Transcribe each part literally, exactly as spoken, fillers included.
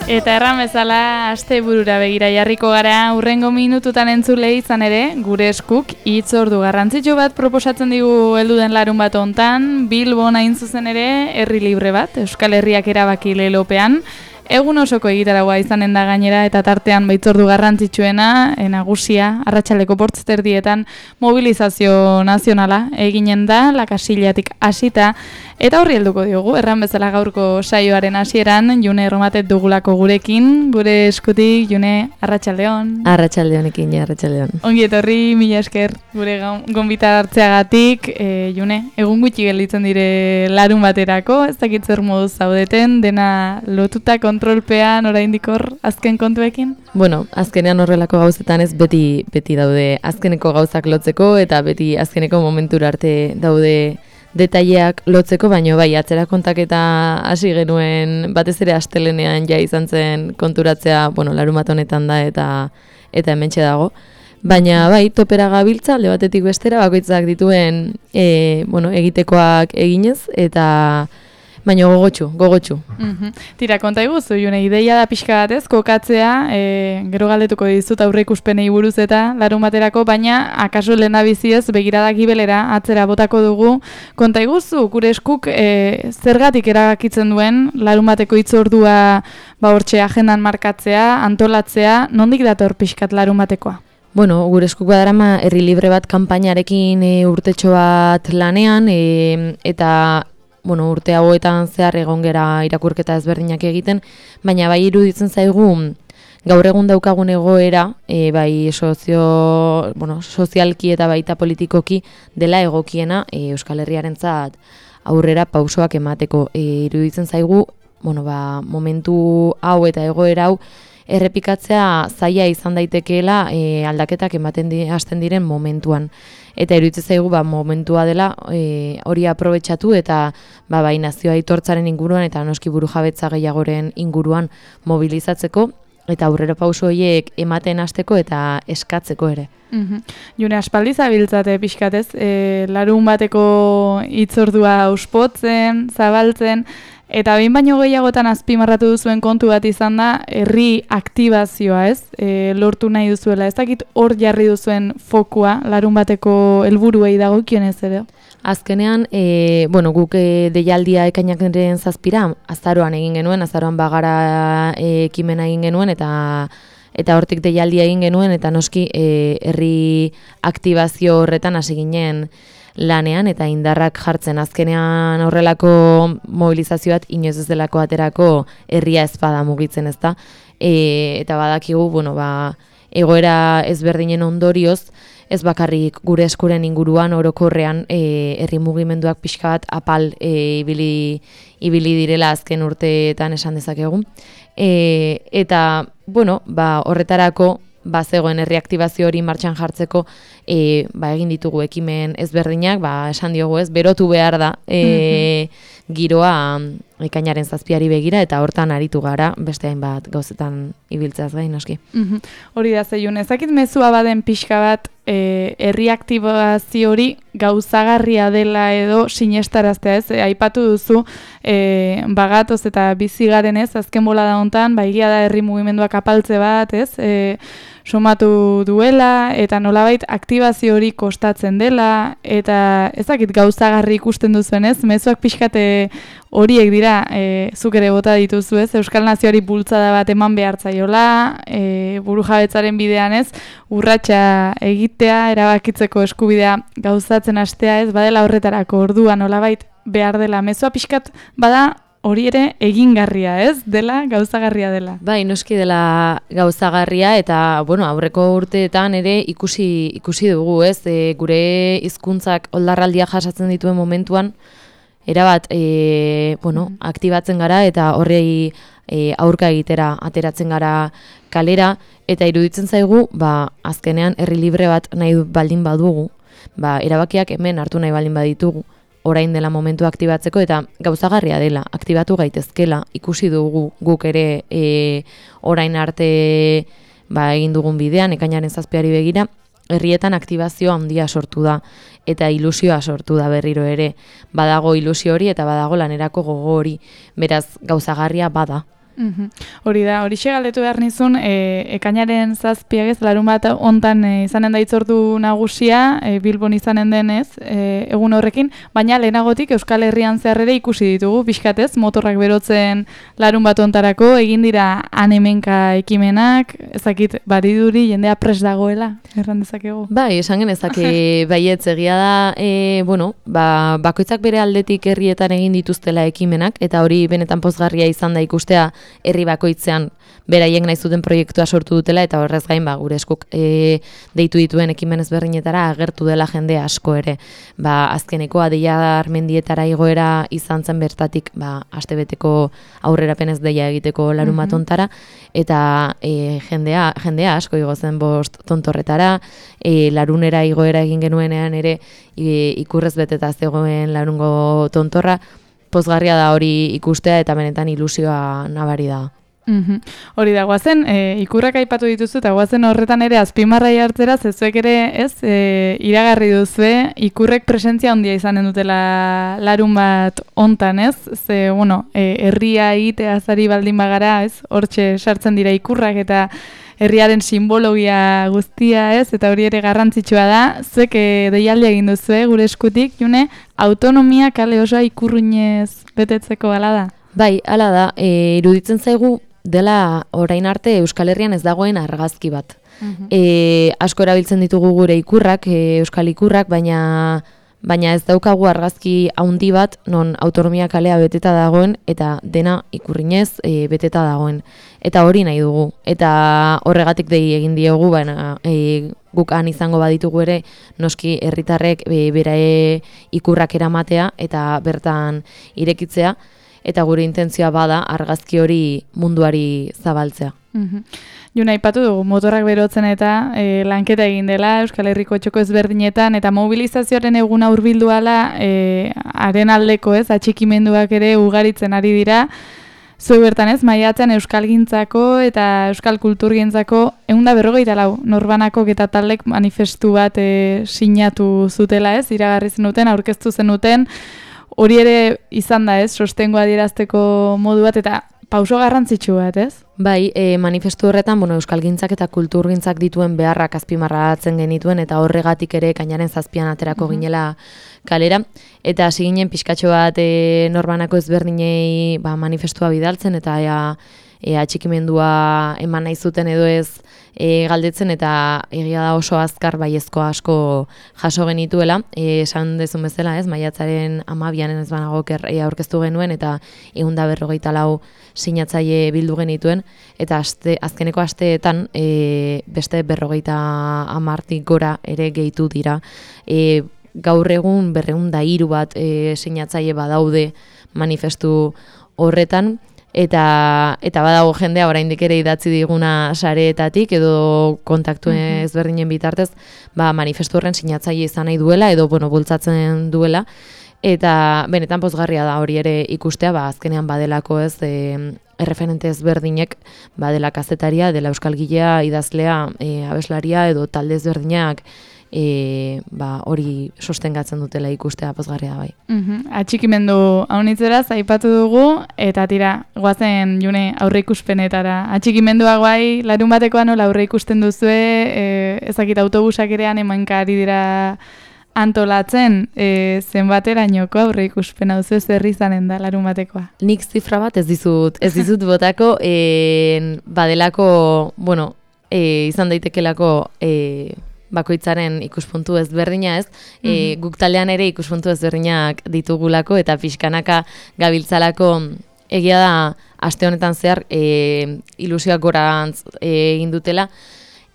Eta erran bezala, asteburura begira jarriko gara, hurrengo minututan entzule izan ere, gure eskuk hitzordu garrantzitsu bat proposatzen digu heldu den larun bat hontan, Bilbon hain zuzen ere, herri libre bat, Euskal Herriak erabaki lelopean, egun osoko egitaragoa izanen da gainera eta tartean baitzordu garrantzitsuena, nagusia, arratsaldeko bortzterdietan mobilizazio nazionala eginen da, lakasillatik hasita, eta horri helduko diogu, erran bezala gaurko saioaren hasieran, June Erromatet dugulako gurekin, gure eskutik, June, arratsaldeon. Arratsaldeonekin, arratsaldeon. Ongi etorri, mila esker, gure gonbitar hartzeagatik, e, June, egun gutxi gelditzen dire larun baterako, ez dakit zer moduz zaudeten, dena lotuta kontrolpean, oraindik hor, azken kontuekin? Bueno, azkenean horrelako gauzetan ez beti beti daude azkeneko gauzak lotzeko, eta beti azkeneko momentura arte daude detaileak lotzeko, baino bai, atzera kontaketa hasi genuen batez ere astelenean ja izan zen konturatzea, bueno, larunbat honetan da eta eta hementxe dago. Baina bai, topera gabiltza, alde batetik bestera, bakoitzak dituen e, bueno, egitekoak eginez, eta baina gogotxu, gogotxu. Mm-hmm. Tira, konta iguzu, June, ideia da pixka batez, kokatzea, e, gero galdetuko dizut aurre ikuspenei buruz eta larun baterako, baina akaso lehendabiziez begiradak gibelera atzera botako dugu. Konta iguzu, gure eskuk e, zergatik erabakitzen duen larun bateko hitzordua ba hortxe agendan markatzea, antolatzea, nondik dator pixkat larun batekoa? Bueno, gure eskuk badarama herri libre bat kanpainarekin e, urtetxo bat lanean, e, eta bueno, urte hauetan zehar egon gera irakurketa ezberdinak egiten, baina bai iruditzen zaigu gaur egun daukagun egoera, e, bai sozio, bueno, sozialki eta baita politikoki dela egokiena e, Euskal Herriarentzat aurrera pausoak emateko. E, iruditzen zaigu, bueno, ba, momentu hau eta egoera hau errepikatzea zaila izan daitekeela e, aldaketak ematen di, hasten diren momentuan. Eta iruditzen zaigu ba, momentua dela e, hori aprobetxatu eta ba, bai nazioa aitortzaren inguruan eta noski burujabetza gehiagoren inguruan mobilizatzeko eta aurrera pauso horiek ematen hasteko eta eskatzeko ere. Mm-hmm. June, aspaldi zabiltzate pixkatez, e, larun bateko hitzordua auspotzen, zabaltzen, eta behin baino gehiagotan azpimarratu duzuen kontu bat izan da, herri aktibazioa, ez? E, lortu nahi duzuela. Ez dakit hor jarri duzuen fokua, larun bateko helburuei dagokionez ere? Azkenean, e, bueno, guk e, deialdia ekainakaren zazpira, azaroan egin genuen, azaroan bagara e, ekimena egin genuen, eta eta hortik deialdia egin genuen, eta noski e, herri aktibazio horretan hasi ginen lanean eta indarrak jartzen. Azkenean horrelako mobilizazioat inoiz ez delako aterako herria ezpada mugitzen, ezta. E, eta badakigu, bueno, ba, egoera ezberdinen ondorioz, ez bakarrik gure eskuren inguruan orokorrean e, herri mugimenduak pixka bat apal e, ibili, ibili direla azken urteetan esan dezakegu. E, eta, bueno, ba, horretarako ba zegoen herriaktibazio hori martxan jartzeko e, ba, egin ditugu ekimen ezberdinak, ba, esan diogu ez, berotu behar da e, mm-hmm. giroa ekainaren zazpiari begira eta hortan aritu gara beste hainbat gauzetan ibiltzeaz gain noski. Mm-hmm. Hori da zeiun, ezakit mezua baden pixka bat e, herriaktibazio hori gauzagarria dela edo sinestaraztea ez, e, aipatu duzu e, bagatoz eta bizigaren ez, azken bolada hontan, ba, egia da herri mugimenduak apaltze bat ez, e, somatu duela eta nolabait aktibazio hori kostatzen dela eta ezakit gauzagarri ikusten duzuen ez, mezuak pixkate horiek dira e, zuk ere bota dituzu ez, Euskal Nazioari bultzada bat eman behartzaiola, e, burujabetzaren bidean ez, urratsa egitea, erabakitzeko eskubidea gauzatzen hastea ez, badela horretarako ordua nolabait behar dela, mezua pixkat bada hori ere egingarria, ez? Dela, gauzagarria dela. Bai, noski dela gauzagarria eta, bueno, aurreko urteetan ere ikusi ikusi dugu, ez? E, gure hizkuntzak oldarraldia jasatzen dituen momentuan, erabat, e, bueno, aktibatzen gara eta horrei e, aurka egitera ateratzen gara kalera eta iruditzen zaigu, ba, azkenean herri libre bat nahi baldin badugu, ba, erabakiak hemen hartu nahi baldin baditugu, orain dela momentu aktibatzeko eta gauzagarria dela, aktibatu gaitezkela, ikusi dugu guk ere e, orain arte ba, egin dugun bidean, ekainaren zazpiari begira, herrietan aktibazio handia sortu da eta ilusioa sortu da berriro ere. Badago ilusio hori eta badago lanerako gogo hori, beraz gauzagarria bada. Mm-hmm. Hori da, hori galdetu behar nizun, e, ekainaren zazpiak ez, larun bat ontan e, izanen da itzordu nagusia, e, Bilbon izanen denez, e, egun horrekin, baina lehenagotik Euskal Herrian zehar ere ikusi ditugu, pixkatez, motorrak berotzen larun bat ontarako, egin dira han-hemenka ekimenak, ezakit bariduri jendea pres dagoela, erran dezakegu. Bai, esan genezake baietz egia da, e, bueno, ba, bakoitzak bere aldetik herrietan egin dituztela ekimenak, eta hori benetan pozgarria izan da ikustea herri bakoitzean beraiek nahi zuten proiektua sortu dutela eta horrez gain ba gure eskuk e, deitu dituen ekimen ezberdinetara agertu dela jende asko ere. Ba azkeneko Adeia Armendietara igoera izan zen bertatik ba astebeteko aurrerapenez deia egiteko larun bat ontara eta e, jendea jendea asko igo zen bost tontorretara, e, larunera igoera egin genuenean ere e, ikurrez beteta zegoen larungo tontorra. Pozgarria da hori ikustea eta benetan ilusioa nabari da. Mm-hmm. Hori da, guazen, e, ikurrak aipatu dituzu eta guazen horretan ere azpimarrai hartzera, zezuek ere ez, e, iragarri duzue, ikurrek presentzia handia izanen dutela larun bat ontan, ez? Ze, bueno, e, herria egitea azari baldin bagara, ez? Hortxe sartzen dira ikurrak eta herriaren simbologia guztia, ez? Eta hori ere garrantzitsua da. Zuek e, deialdia egin duzue gure eskutik, June, autonomia kale osoa ikurruinez betetzeko hala da? Bai, hala da. E, iruditzen zaigu dela orain arte Euskal Herrian ez dagoen argazki bat. Uh-huh. E, asko erabiltzen ditugu gure ikurrak, e, euskal ikurrak, baina baina ez daukagu argazki handi bat non autonomia kalea beteta dagoen eta dena ikurrinez e, beteta dagoen. Eta hori nahi dugu. Eta horregatik dei egin diogu, baina e, guk han izango baditugu ere noski herritarrek e, berae ikurrak eramatea eta bertan irekitzea. Eta gure intentzioa bada argazki hori munduari zabaltzea. Mm-hmm. Juna, aipatu dugu, motorrak berotzen eta e, lanketa egin dela Euskal Herriko txoko ezberdinetan, eta mobilizazioaren eguna hurbildu ala, e, haren aldeko ez, atxikimenduak ere ugaritzen ari dira. Zuek bertan ez, maiatzean euskalgintzako eta euskal kulturgintzako ehun eta berrogeita lau norbanakok eta taldek manifestu bat e, sinatu zutela ez, iragarri zenuten, aurkeztu zenuten. Hori ere izan da ez, sostengoa adierazteko modu bat eta pauso garrantzitsu bat ez? Bai, e, manifestu horretan bueno, euskalgintzak eta kulturgintzak dituen beharrak azpimarratzen genituen eta horregatik ere ekainaren zazpian aterako mm-hmm. ginela kalera. Eta hasi ginen pixkatxo bat e, norbanako ezberdinei ba, manifestua bidaltzen eta ea, ea atxikimendua eman nahi zuten edo ez e, galdetzen eta egia da oso azkar baiezko asko jaso genituela. E, esan dezun bezala ez, maiatzaren hamabian ez banago e, aurkeztu genuen eta ehun eta berrogeita lau sinatzaile bildu genituen eta aste, azkeneko asteetan e, beste berrogeita hamartik gora ere gehitu dira. E, gaur egun berrehun eta hiru bat e, sinatzaile badaude manifestu horretan. Eta, eta badago jendea oraindik ere idatzi diguna sareetatik edo kontaktu ezberdinen bitartez ba, manifestu horren sinatzaile izan nahi duela edo bueno, bultzatzen duela. Eta benetan pozgarria da hori ere ikustea, ba, azkenean badelako ez e, erreferente ezberdinek badela kazetaria, dela euskalgilea, idazlea, e, abeslaria edo talde ezberdinak E, ba, hori sostengatzen dutela ikustea pozgarria da bai. Mm-hmm. Atxikimendu haunitzeraz aipatu dugu eta tira, goazen June aurre ikuspenetara. Atxikimendua guai, larun batekoa nola aurre ikusten duzue, e, ezakit autobusak erean emanka ari dira antolatzen, e, zenbaterainoko aurre ikuspena duzu zerri izanen da larun batekoa? Nik zifra bat ez dizut, ez dizut botako, e, badelako, bueno, e, izan daitekelako e, bakoitzaren ikuspuntu ezberdina ez, mm-hmm. e, guk taldean ere ikuspuntu ezberdinak ditugulako eta pixkanaka gabiltzalako egia da aste honetan zehar e, ilusioak gorantz egin dutela.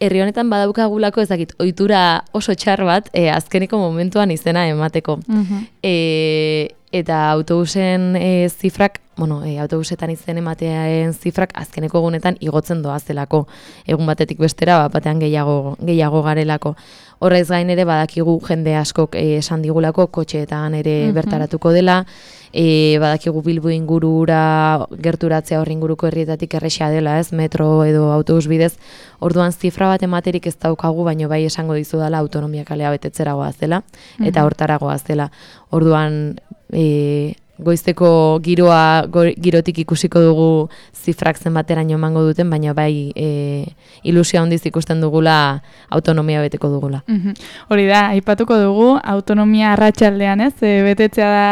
Herri honetan badaukagulako ezakit ohitura oso txar bat e, azkeneko momentuan izena emateko. Mm-hmm. E, eta autobusen e, zifrak bueno, e, autobusetan izen ematearen zifrak azkeneko egunetan igotzen doazelako. Egun batetik bestera, bat batean gehiago, gehiago garelako. Horrez gain ere badakigu jende askok e, esan digulako kotxeetan ere mm-hmm. bertaratuko dela, e, badakigu Bilbo ingurura gerturatzea horri inguruko herrietatik erresa dela, ez, metro edo autobus bidez. Orduan zifra bat ematerik ez daukagu, baino bai esango dizu dela autonomia kalea betetzera goazela, mm-hmm. eta hortara goazela. Orduan, e, goizteko giroa go, girotik ikusiko dugu zifrak zenbateraino emango duten, baina bai e, ilusia handiz ikusten dugula autonomia beteko dugula. Mm-hmm. Hori da, aipatuko dugu autonomia arratsaldean, ez? E, betetzea da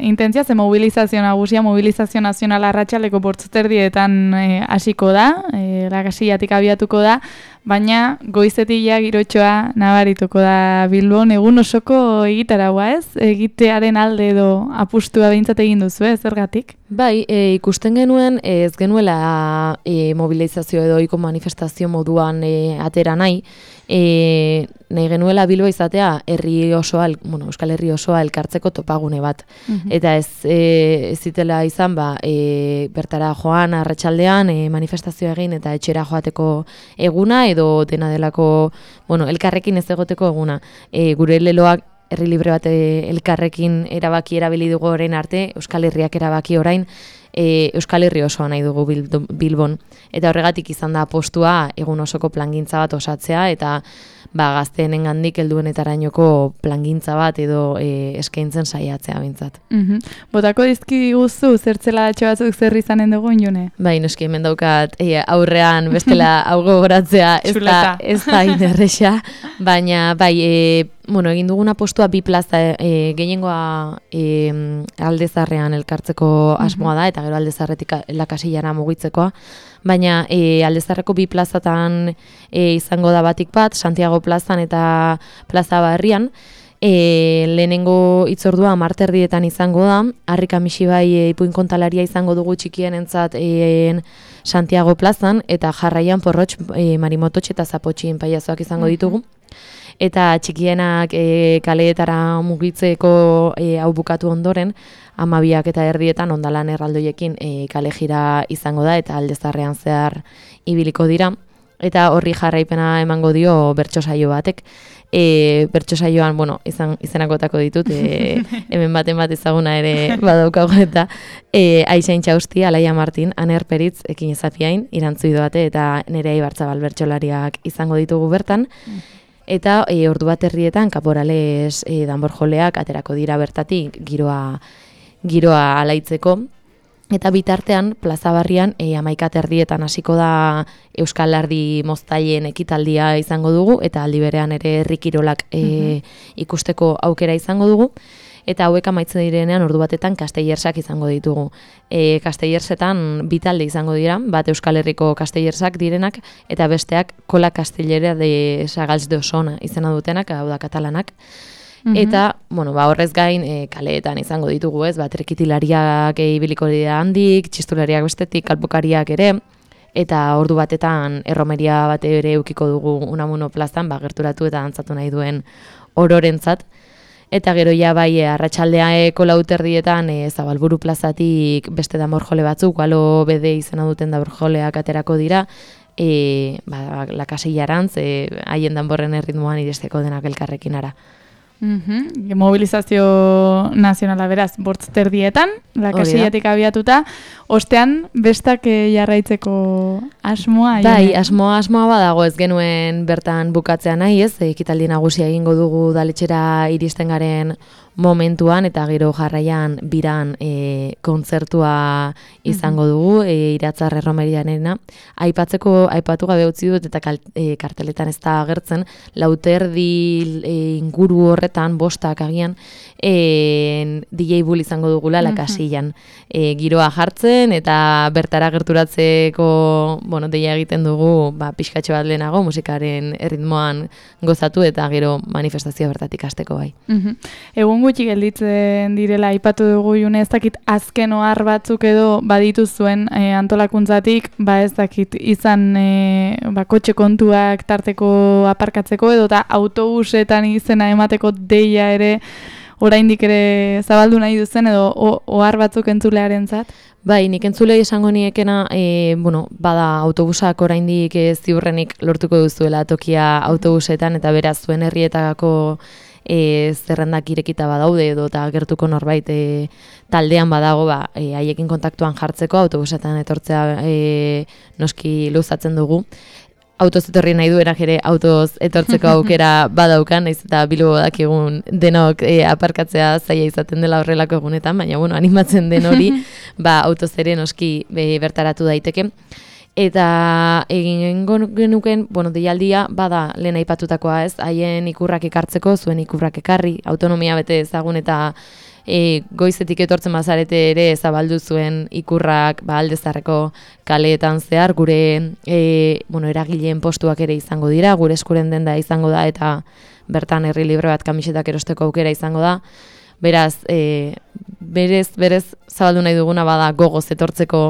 intentzia, ze mobilizazio nagusia, mobilizazio nazionala arratsaldeko bortziterdietan hasiko e, da, e, Lakasillatik abiatuko da, baina goizetik ja girotxoa nabarituko da Bilbon, egun osoko egitaraua, ez? Egitearen alde edo apustua behintzat egin duzu, ez? Zergatik? Bai, e, ikusten genuen ez genuela e, mobilizazio edo ohiko manifestazio moduan e, atera nahi, e, nahi genuela Bilbo izatea herri osoa, bueno, Euskal Herri osoa elkartzeko topagune bat. Mm-hmm. Eta ez e, ez zitela izan, ba, e, bertara joan arratsaldean e, manifestazioa egin eta etxera joateko eguna edo dena delako, bueno, elkarrekin ez egoteko eguna. E, gure leloak herri libre bat elkarrekin erabaki erabili dugu orain arte, Euskal Herriak erabaki orain, e, Euskal Herri osoa nahi dugu Bilbon. Eta horregatik izan da postua egun osoko plangintza bat osatzea, eta ba, gazteenen gandik helduenetarainoko plangintza bat edo e, eskaintzen saiatzea bintzat. Mm-hmm. Botako dizki guzu, zertzela datxo batzuk zer izanen dugu, June? Bai, noski hemen daukat e, aurrean bestela hau gogoratzea ez da, ez da inerresa, baina bai, e, bueno, egin duguna postua bi plaza e, gehiengoa e, Aldezarrean elkartzeko asmoa da, eta gero Aldezarretik Lakasillara mugitzekoa, baina e, Aldezarreko bi plazatan e, izango da batik bat, Santiago plazan eta Plaza Barrian. E, lehenengo hitzordua marterdietan izango da, Harrika Misibai e, ipuin kontalaria izango dugu txikienentzat e, Santiago plazan, eta jarraian Porrotx, e, Marimototx eta Zapotxin paiazoak izango ditugu. Eta txikienak e, kaleetara mugitzeko e, hau bukatu ondoren, hamabiak eta erdietan ondalan erraldoiekin e, kale jira izango da, eta Aldezarrean zehar ibiliko dira. Eta horri jarraipena emango dio bertso saio batek. E, bertso saioan, bueno, izan, izenakotako ditut, e, hemen baten bat ezaguna ere badaukago, eta e, Aixain Txausti, Alaia Martin, Aner Peritz, Ekin Ezapiain, Irantzu Idoate, eta Nerea Ibartzabal bertsolariak izango ditugu bertan. Eta e, ordu bat herrietan kaporales e, danborjoleak aterako dira bertatik giroa, giroa alaitzeko. Eta bitartean, Plaza Barrian, e, amaikat erdietan hasiko da Euskal Ardi moztailen ekitaldia izango dugu, eta aldi berean ere herri kirolak e, mm-hmm. ikusteko aukera izango dugu. Eta hauek amaitzen direnean ordu batetan Castellersak izango ditugu. E, Castellersetan bi talde izango dira, bat Euskal Herriko Castellersak direnak, eta besteak Kola Castellera de Sagals de Osona izena dutenak, hau da katalanak. Mm-hmm. Eta, bueno, ba, horrez gain e, kaleetan izango ditugu, ez, ba, trekitilariak ibiliko dira handik, txistulariak bestetik, kalpokariak ere, eta ordu batetan erromeria bat ere eukiko dugu Unamuno plazan, ba, gerturatu eta dantzatu nahi duen ororentzat. Eta gero ja bai arratsaldeako lauterdietan e, Zabalburu plazatik beste danborjole batzuk, galo bede izena duten danborjoleak aterako dira, e, ba, Lakasillarantz, e, haien danborren erritmoan iristeko denak elkarrekin ara. Mm-hmm. Mobilizazio nazionala beraz, bortzterdietan, Lakasillatik abiatuta, ostean bestak jarraitzeko asmoa? Bai, jone? asmoa asmoa badago, ez genuen bertan bukatzea nahi, ez, ekitaldi nagusia egingo dugu daletxera iristen garen momentuan, eta gero jarraian biran e, kontzertua izango dugu, e, Iratzar erromerianena. Aipatzeko, aipatu gabe utzi dut, eta kal, e, karteletan ez da agertzen, lauterdi e, inguru horretan, bostak agian, e, D J Bull izango dugula Lakasillan. E, giroa jartzen, eta bertara gerturatzeko, bueno, deia egiten dugu, ba, pixkatxo bat lehenago, musikaren erritmoan gozatu, eta gero manifestazioa bertatik hasteko bai. Mm-hmm. Egun gutxi gelditzen direla aipatu dugu, June, ez dakit azken ohar batzuk edo baditu zuen e, antolakuntzatik, ba ez dakit izan e, ba, kotxe kontuak tarteko aparkatzeko edo eta autobusetan izena emateko deia ere oraindik ere zabaldu nahi duzen edo ohar batzuk entzulearentzat? Bai, nik entzulei esango niekena, e, bueno, bada autobusak oraindik e, ziurrenik lortuko duzuela tokia autobusetan, eta beraz zuen herrietako e, zerrendak irekita badaude edo eta gertuko norbait e, taldean badago, ba, e, haiekin kontaktuan jartzeko autobusetan etortzea e, noski luzatzen dugu. Autoz etorri nahi duenak ere autoz etortzeko aukera badaukan, naiz eta Bilbo dakigun denok e, aparkatzea zaila izaten dela horrelako egunetan, baina bueno, animatzen den hori, ba, autoz ere noski be, bertaratu daiteke. Eta egin genuken, bueno, deialdia bada lehen aipatutakoa, ez, haien ikurrak ekartzeko, zuen ikurrak ekarri, autonomia bete ezagun eta E, goizetik etortzen bazarete ere zabaldu zuen ikurrak ba, Aldezarreko kaleetan zehar, gure e, bueno, eragileen postuak ere izango dira, gure eskuren denda izango da, eta bertan herri libre bat kamisetak erosteko aukera izango da. Beraz, e, berez, berez zabaldu nahi duguna bada gogoz etortzeko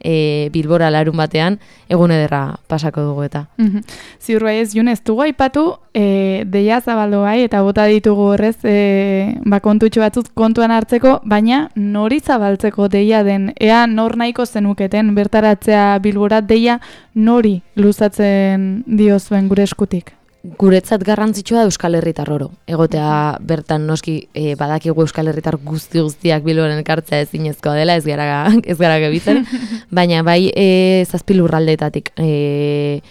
e, Bilbora larun batean, egun ederra pasako dugu eta. Mm-hmm. Ziur bai ez, Jun, ez dugu aipatu, e, deia zabaldu bai, eta bota ditugu horrez, e, ba, kontutxo batzut kontuan hartzeko, baina nori zabaltzeko deia den, ea nor nahiko zenuketen bertaratzea Bilbora, deia nori luzatzen diozuen gure eskutik? Guretzat garrantzitsua da Euskal Herritar oro. Egotea bertan noski e, badakigu Euskal Herritar guzti guztiak Bilboren ekartzea ezinezkoa dela, ez gara ez gara gebitzen, baina bai e, zazpi lurraldeetatik e,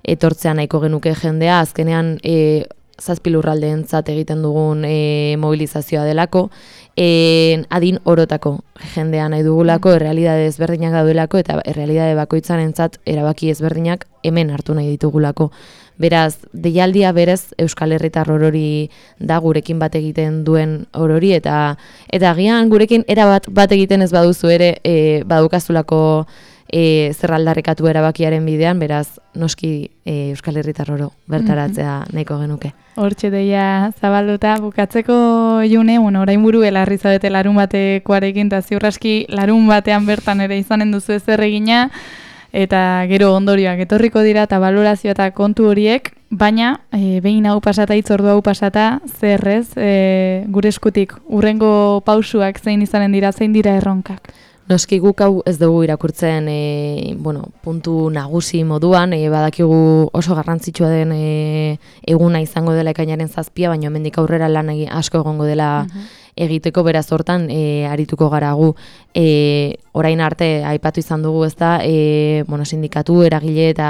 etortzea nahiko genuke jendea, azkenean e, zazpi lurraldeentzat egiten dugun e, mobilizazioa delako, e, adin orotako jendea nahi dugulako, errealidade ezberdinak daudelako, eta errealidade bakoitzarentzat erabaki ezberdinak hemen hartu nahi ditugulako. Beraz, deialdia berez Euskal Herritar orori da, gurekin bat egiten duen orori, eta eta agian gurekin era bat, bat egiten ez baduzu ere e, badukazulako e, zerraldarrekatu erabakiaren bidean, beraz, noski e, Euskal Herritar oro bertaratzea nahiko genuke. Hortxe deia zabalduta bukatzeko, June, bueno, orain buru elarri zaudete larun batekoarekin, eta ziurraski larun batean bertan ere izanen duzu ezer egina, eta gero ondorioak etorriko dira eta balorazio eta kontu horiek, baina e, behin hau pasata, hitzordu hau pasata, zerrez, e, gure eskutik urrengo pausuak zein izanen dira, zein dira erronkak? Noski guk hau ez dugu irakurtzen e, bueno, puntu nagusi moduan, e, badakigu oso garrantzitsua den e, eguna izango dela ekainaren zazpia, baina hemendik aurrera lan asko egongo dela egiteko, beraz hortan e, arituko gara gu. E, orain arte aipatu izan dugu, ezta, e, bueno, sindikatu, eragile eta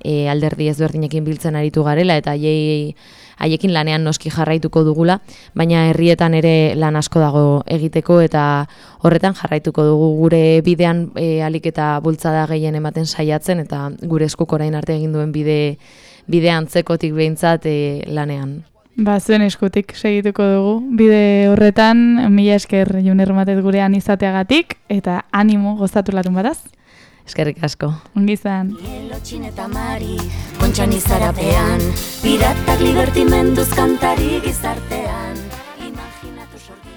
e, alderdi ezberdinekin biltzen aritu garela, eta haiei haiekin lanean noski jarraituko dugula, baina herrietan ere lan asko dago egiteko, eta horretan jarraituko dugu gure bidean e, alik eta bultzada gehien ematen saiatzen, eta gure eskuk orain arte egin duen bide, bide antzekotik behintzat e, lanean. Ba, zuen eskutik segituko dugu. Bide horretan, mila esker June Ermatet gurean izateagatik, eta animo gozatu larun bataz. Eskerrik asko. Ongi izan. Lotxin eta mari, kontxan izarapean, piratak libertimenduz kantari gizartean.